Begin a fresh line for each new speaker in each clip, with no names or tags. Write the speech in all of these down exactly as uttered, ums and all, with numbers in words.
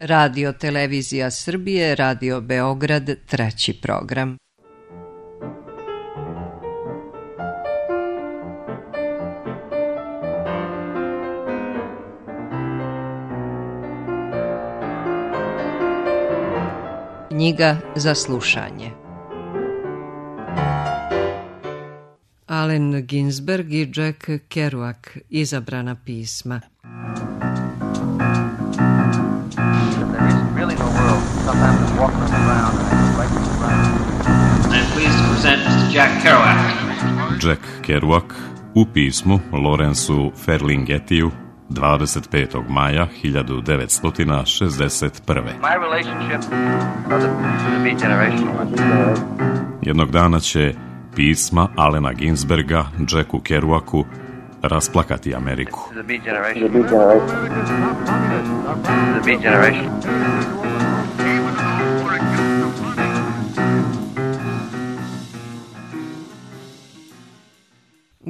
Radio Televizija Srbije, Radio Beograd, treći program. Knjiga za slušanje. Allen Ginsberg i Jack Kerouac, izabrana pisma.
Jack Kerouac u pismu Lawrenceu Ferlinghettiju dvadeset petog maja hiljadu devetsto šezdeset prve. Jednog dana će pisma Allena Ginsberga Jacku Kerouacu rasplakati Ameriku.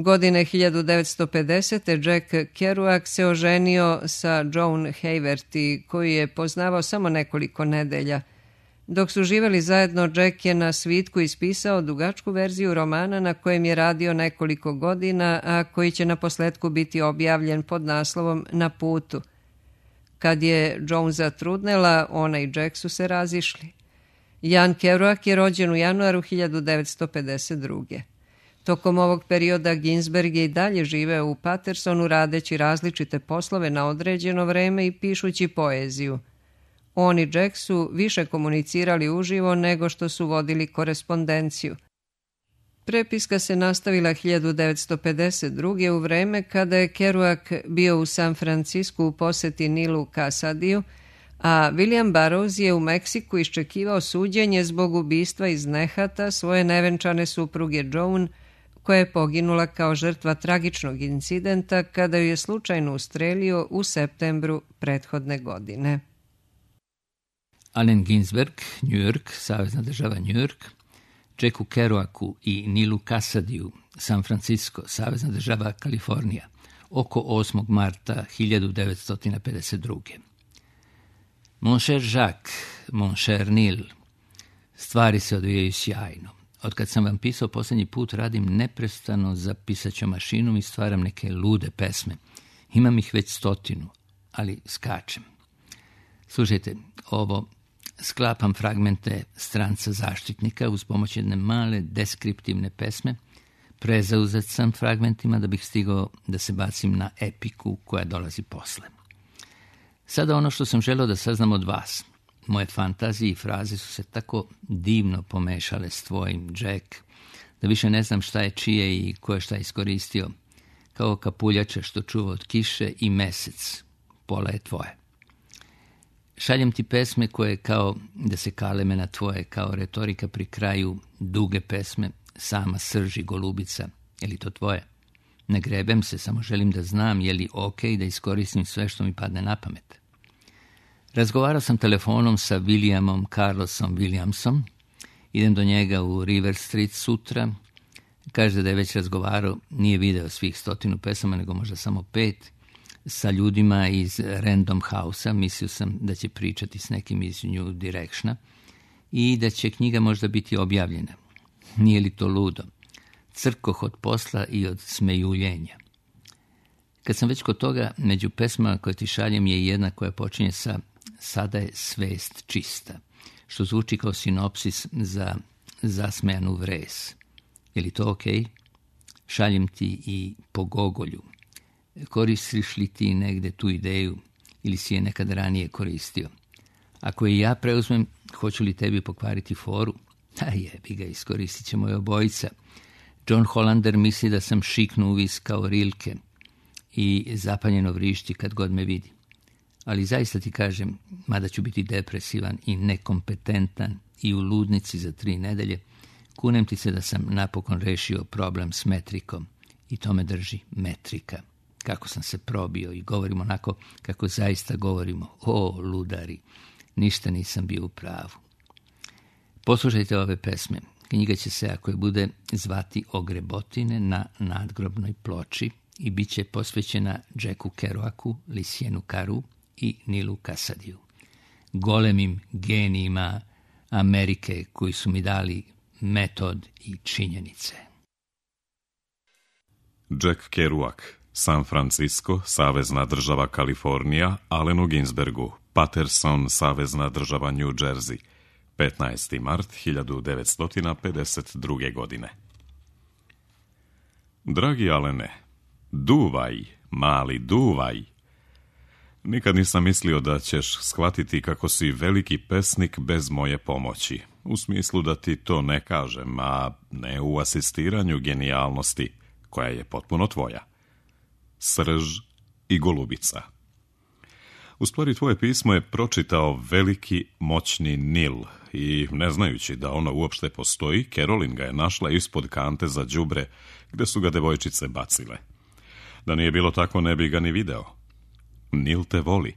Godine hiljadu devetsto pedesete. Jack Kerouac se oženio sa Joan Haverty, koju je poznavao samo nekoliko nedelja. Dok su živjeli zajedno, Jack je na svitku ispisao dugačku verziju romana na kojem je radio nekoliko godina, a koji će naposletku biti objavljen pod naslovom Na putu. Kad je Joan zatrudnela, ona i Jack su se razišli. Jan Kerouac je rođen u januaru hiljadu devetsto pedeset druge. Tokom ovog perioda Ginsberg je i dalje živeo u Patersonu radeći različite poslove na određeno vreme i pišući poeziju. On i Jack su više komunicirali uživo nego što su vodili korespondenciju. Prepiska se nastavila hiljadu devetsto pedeset druge. u vreme kada je Kerouac bio u San Francisku u poseti Nilu Casadiju, a William Burroughs je u Meksiku iščekivao suđenje zbog ubistva iz nehata svoje nevenčane supruge Joan, koja je poginula kao žrtva tragičnog incidenta kada ju je slučajno ustrelio u septembru prethodne godine.
Allen Ginsberg, New York, Savezna država New York, Jacku Kerouacu i Nilu Casadiju, San Francisco, Savezna država Kalifornija, oko osmog marta hiljadu devetsto pedeset druge. Mon cher Jacques, mon cher Nil, stvari se odvijaju sjajno. Otkad sam vam pisao posljednji put, radim neprestano za pisaćom mašinom i stvaram neke lude pesme. Imam ih već stotinu, ali skačem. Slušajte, ovo sklapam fragmente Stranca zaštitnika uz pomoć jedne male deskriptivne pesme. Prezauzet sam fragmentima da bih stigao da se bacim na epiku koja dolazi posle. Sada ono što sam želeo da saznam od vas. Moje fantazije i fraze su se tako divno pomešale s tvojim, Jack, da više ne znam šta je čije i ko je šta iskoristio. Kao kapuljača što čuva od kiše i mesec. Pola je tvoje. Šaljem ti pesme koje kao da se kaleme na tvoje, kao retorika pri kraju duge pesme, sama srži golubica. Je li to tvoje? Ne grebem se, samo želim da znam je li ok da iskoristim sve što mi padne na pamet. Razgovarao sam telefonom sa Williamom Carlosom Williamsom. Idem do njega u River Street sutra. Kaže da je već razgovarao, nije video svih stotinu pesama, nego možda samo pet, sa ljudima iz Random House-a. Mislio sam da će pričati s nekim iz New Directiona i da će knjiga možda biti objavljena. Nije li to ludo? Crkoh od posla i od smejuljenja. Kad sam već kod toga, među pesmama koje ti šaljem je jedna koja počinje sa Sada je svest čista, što zvuči kao sinopsis za zasmejanu vres. Je li to ok? Šaljem ti i po Gogolju. Koristiš li ti negde tu ideju ili si je nekad ranije koristio? Ako je ja preuzmem, hoću li tebi pokvariti foru? A jebi ga, iskoristit ćemo je obojica. John Hollander misli da sam šiknu uvis kao Rilke i zapaljeno vrišti kad god me vidi. Ali zaista ti kažem, mada ću biti depresivan i nekompetentan i u ludnici za tri nedelje, kunem ti se da sam napokon rešio problem s metrikom i to me drži metrika. Kako sam se probio i govorim onako kako zaista govorimo. O, ludari, ništa nisam bio u pravu. Poslušajte ove pesme. Knjiga će se, ako je bude, zvati Ogrebotine na nadgrobnoj ploči i bit će posvećena Jacku Kerouacu, Lucienu Carew i Nilu Casadiju. golemim genijima Amerike koji su mi dali metod i činjenice.
Jack Kerouac, San Francisco, savezna država Kalifornija, Allenu Ginsbergu, Paterson, savezna država New Jersey, petnaesti mart hiljadu devetsto pedeset druge. godine. Dragi Alene, duvaj, mali duvaj. Nikad nisam mislio da ćeš shvatiti kako si veliki pesnik bez moje pomoći, u smislu da ti to ne kažem, a ne u asistiranju genijalnosti, koja je potpuno tvoja. Srž i golubica. U stvari, tvoje pismo je pročitao veliki, moćni Nil i, ne znajući da ono uopšte postoji, Carolyn ga je našla ispod kante za đubre, gde su ga devojčice bacile. Da nije bilo tako, ne bi ga ni video. Nil te voli,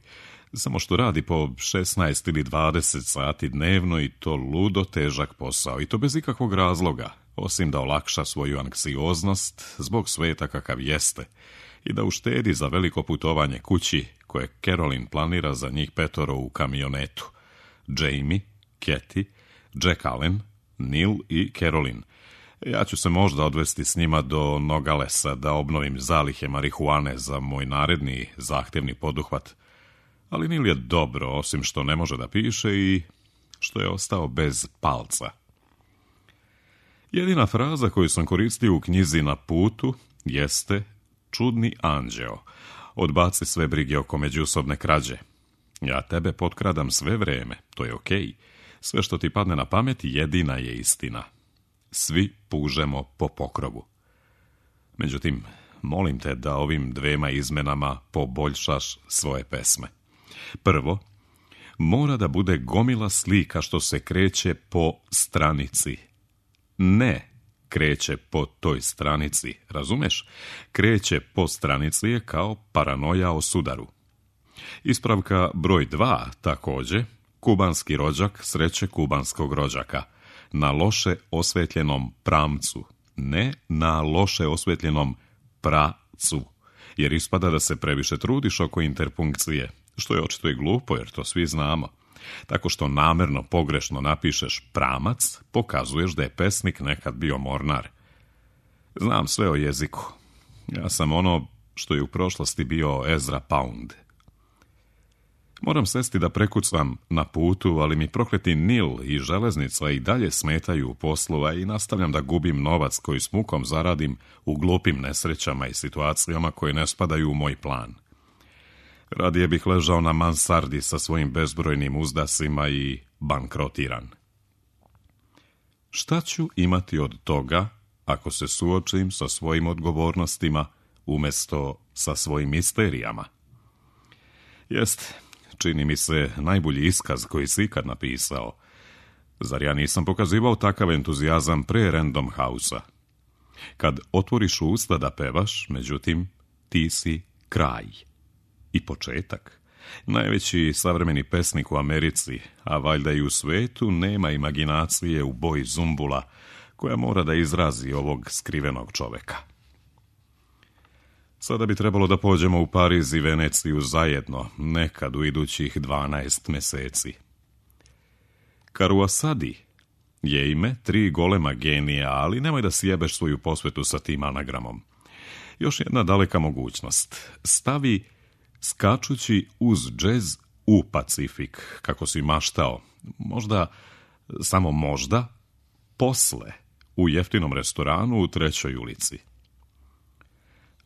samo što radi po šesnaest ili dvadeset sati dnevno i to ludo težak posao, i to bez ikakvog razloga, osim da olakša svoju anksioznost zbog sveta kakav jeste i da uštedi za veliko putovanje kući koje Carolyn planira za njih petoro u kamionetu. Jamie, Kathy, Jack Allen, Nil i Carolyn. Ja ću se možda odvesti s njima do Nogalesa da obnovim zalihe marihuane za moj naredni zahtevni poduhvat. Ali Nil je dobro, osim što ne može da piše i što je ostao bez palca. Jedina fraza koju sam koristio u knjizi Na putu jeste čudni anđeo. Odbaci sve brige oko međusobne krađe. Ja tebe potkradam sve vreme, to je okej. Sve što ti padne na pamet jedina je istina. Svi pužemo po pokrovu. Međutim, molim te da ovim dvema izmenama poboljšaš svoje pesme. Prvo, mora da bude gomila slika što se kreće po stranici. Ne kreće po toj stranici, razumeš? Kreće po stranici je kao paranoja o sudaru. Ispravka broj dva, također, kubanski rođak sreće kubanskog rođaka. Na loše osvetljenom pramcu, ne na loše osvetljenom pracu, jer ispada da se previše trudiš oko interpunkcije, što je očito i glupo, jer to svi znamo. Tako što namerno pogrešno napišeš pramac, pokazuješ da je pesnik nekad bio mornar. Znam sve o jeziku. Ja sam ono što je u prošlosti bio Ezra Pound. Moram sesti da prekucam Na putu, ali mi prokleti Nil i železnica i dalje smetaju u poslu, a i nastavljam da gubim novac koji s mukom zaradim u glupim nesrećama i situacijama koje ne spadaju u moj plan. Radije bih ležao na mansardi sa svojim bezbrojnim uzdasima i bankrotiran. Šta ću imati od toga ako se suočim sa svojim odgovornostima umjesto sa svojim misterijama? Jest, čini mi se najbolji iskaz koji si ikad napisao. Zar ja nisam pokazivao takav entuzijazam pre Random House-a? Kad otvoriš usta da pevaš, međutim, ti si kraj. I početak. Najveći savremeni pesnik u Americi, a valjda i u svetu, nema imaginacije u boji zumbula koja mora da izrazi ovog skrivenog čoveka. Sada bi trebalo da pođemo u Pariz i Veneciju zajedno, nekad u idućih dvanaest meseci. Karuasadi je ime tri golema genija, ali nemoj da sjebeš svoju posvetu sa tim anagramom. Još jedna daleka mogućnost. Stavi skačući uz džez u Pacifik, kako si maštao. Možda, samo možda, posle, u jeftinom restoranu u Trećoj ulici.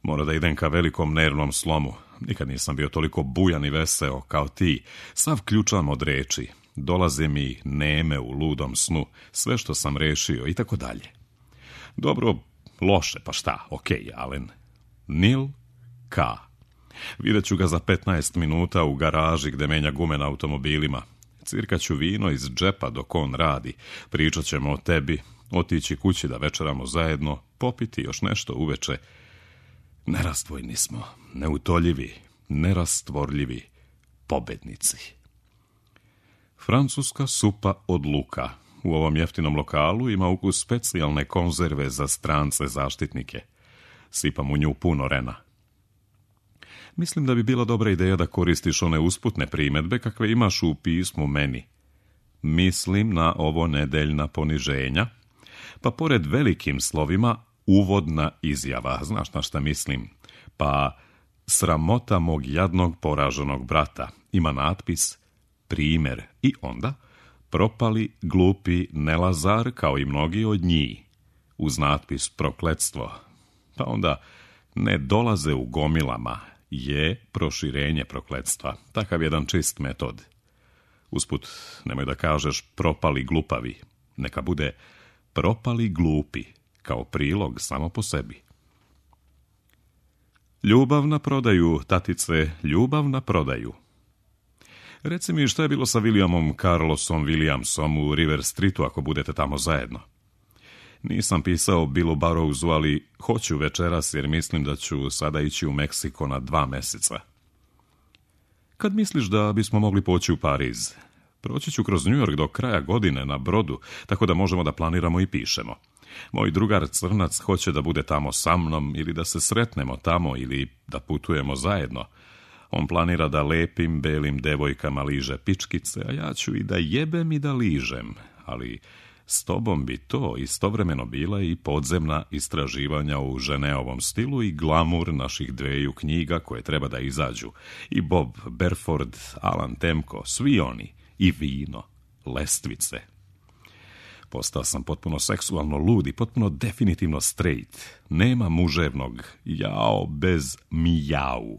Mora da idem ka velikom nervnom slomu. Nikad nisam bio toliko bujan i veseo kao ti. Sav ključam od reči. Dolaze mi neme u ludom snu. Sve što sam rešio i tako dalje. Dobro, loše, pa šta, okej, Alen. Nil K. Vidjet ću ga za petnaest minuta u garaži gde menja gume na automobilima. Cirkaću vino iz džepa dok on radi. Pričat ćemo o tebi, otići kući da večeramo zajedno, popiti još nešto uveče. Nerastvojni smo, neutoljivi, nerastvorljivi, pobednici. Francuska supa od luka. U ovom jeftinom lokalu ima ukus specijalne konzerve za strance zaštitnike. Sipam u nju puno rena. Mislim da bi bila dobra ideja da koristiš one usputne primjedbe kakve imaš u pismu meni. Mislim na ovo nedeljna poniženja, pa pored velikim slovima uvodna izjava, znaš na šta mislim, pa sramota mog jadnog poraženog brata, ima natpis primjer i onda propali glupi Nelazar kao i mnogi od njih, uz natpis prokletstvo, pa onda ne dolaze u gomilama, je proširenje prokletstva, takav jedan čist metod. Usput, nemoj da kažeš propali glupavi, neka bude propali glupi, kao prilog samo po sebi. Ljubav na prodaju, tatice, ljubav na prodaju. Reci mi šta je bilo sa Williamom Carlosom Williamsom u River Streetu ako budete tamo zajedno. Nisam pisao Billu Burroughsu, ali hoću večeras jer mislim da ću sada ići u Meksiko na dva meseca. Kad misliš da bismo mogli poći u Pariz? Proći ću kroz New York do kraja godine na brodu, tako da možemo da planiramo i pišemo. Moj drugar Crnac hoće da bude tamo sa mnom ili da se sretnemo tamo ili da putujemo zajedno. On planira da lepim, belim devojkama liže pičkice, a ja ću i da jebem i da ližem, ali s tobom bi to istovremeno bila i podzemna istraživanja u Ženeovom stilu i glamur naših dveju knjiga koje treba da izađu. I Bob Berford, Alan Temko, svi oni, i vino, lestvice. Postao sam potpuno seksualno lud i potpuno definitivno straight. Nema muževnog jao bez mijau.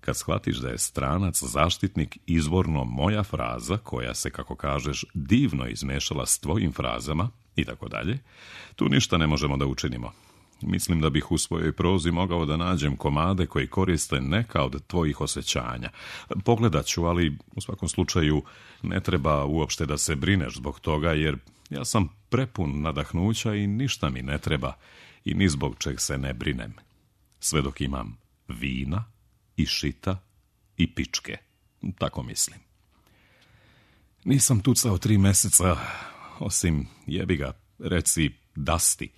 Kad shvatiš da je stranac zaštitnik izvorno moja fraza, koja se, kako kažeš, divno izmešala s tvojim frazama i tako dalje, tu ništa ne možemo da učinimo. Mislim da bih u svojoj prozi mogao da nađem komade koji koriste neka od tvojih osjećanja. Pogledat ću, ali u svakom slučaju ne treba uopšte da se brineš zbog toga, jer ja sam prepun nadahnuća i ništa mi ne treba i ni zbog čeg se ne brinem. Sve dok imam vina i šita i pičke. Tako mislim. Nisam tucao tri meseca, osim jebi ga, reci dasti.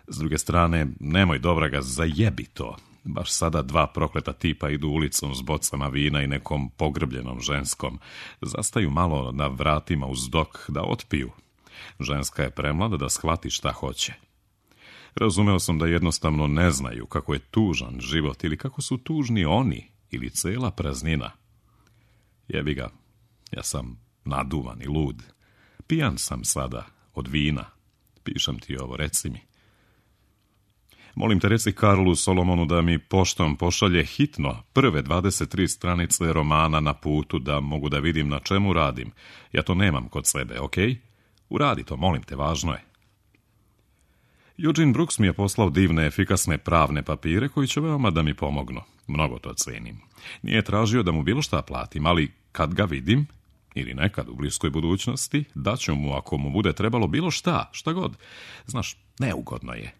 S druge strane, nemoj dobra ga, zajebi to. Baš sada dva prokleta tipa idu ulicom s bocama vina i nekom pogrbljenom ženskom. Zastaju malo na vratima uz dok da otpiju. Ženska je premlada da shvati šta hoće. Razumeo sam da jednostavno ne znaju kako je tužan život ili kako su tužni oni ili cela praznina. Jebi ga, ja sam naduvan i lud. Pijan sam sada od vina. Pišem ti ovo, reci mi. Molim te, reci Karlu Solomonu da mi poštom pošalje hitno prve dvadeset tri stranice romana Na putu, da mogu da vidim na čemu radim. Ja to nemam kod sebe, okej? Okay? Uradi to, molim te, važno je. Eugene Brooks mi je poslao divne, efikasne pravne papire koji će veoma da mi pomognu. Mnogo to cenim. Nije tražio da mu bilo šta platim, ali kad ga vidim, ili nekad u bliskoj budućnosti, daću mu ako mu bude trebalo bilo šta, šta god. Znaš, neugodno je.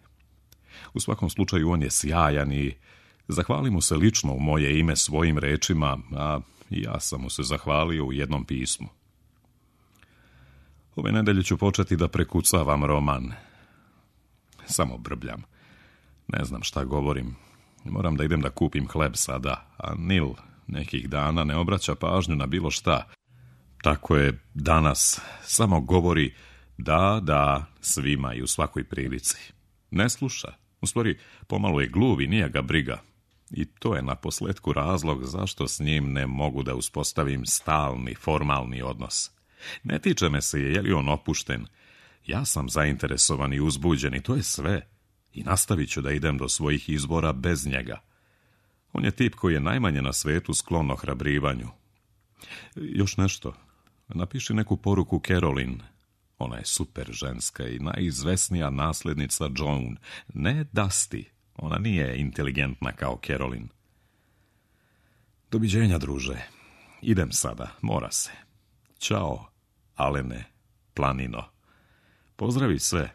U svakom slučaju on je sjajan i zahvali mu se lično u moje ime svojim rečima, a ja sam mu se zahvalio u jednom pismu. Ove nedelje ću početi da prekucavam roman. Samo brbljam. Ne znam šta govorim. Moram da idem da kupim hleb sada, a Nil nekih dana ne obraća pažnju na bilo šta. Tako je danas. Samo govori da, da, svima i u svakoj prilici. Ne sluša. U stvari, pomalo je gluv i nije ga briga. I to je na posletku razlog zašto s njim ne mogu da uspostavim stalni, formalni odnos. Ne tiče me se je li on opušten. Ja sam zainteresovan i uzbuđen i to je sve. I nastavit ću da idem do svojih izbora bez njega. On je tip koji je najmanje na svetu sklon ohrabrivanju. Još nešto. Napiši neku poruku Caroline. Ona je super ženska i najizvesnija nasljednica Joan. Ne Dusty. Ona nije inteligentna kao Caroline. Doviđenja, druže. Idem sada, mora se. Ćao, Alene, planino. Pozdravi sve.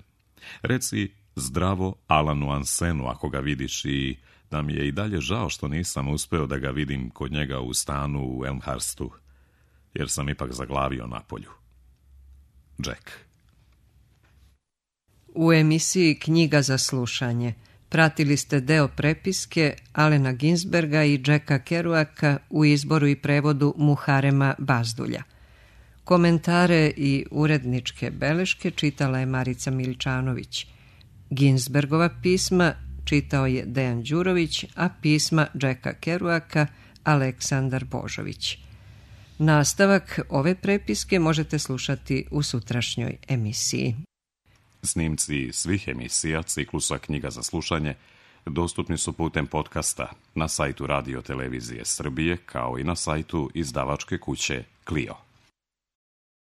Reci zdravo Alanu Ansenu ako ga vidiš i da mi je i dalje žao što nisam uspeo da ga vidim kod njega u stanu u Elmhurstu, jer sam ipak zaglavio na polju. Jack.
U emisiji Knjiga za slušanje Pratili ste deo prepiske Alena Ginsberga i Jacka Kerouaka u izboru i prevodu Muharema Bazdulja. Komentare i uredničke beleške čitala je Marica Miličanović. Ginsbergova pisma čitao je Dejan Đurović, a pisma Jacka Kerouaka Aleksandar Božović. Nastavak ove prepiske možete slušati u sutrašnjoj emisiji.
Snimci svih emisija ciklusa Knjiga za slušanje dostupni su putem podcasta na sajtu Radio Televizije Srbije kao i na sajtu izdavačke kuće Clio.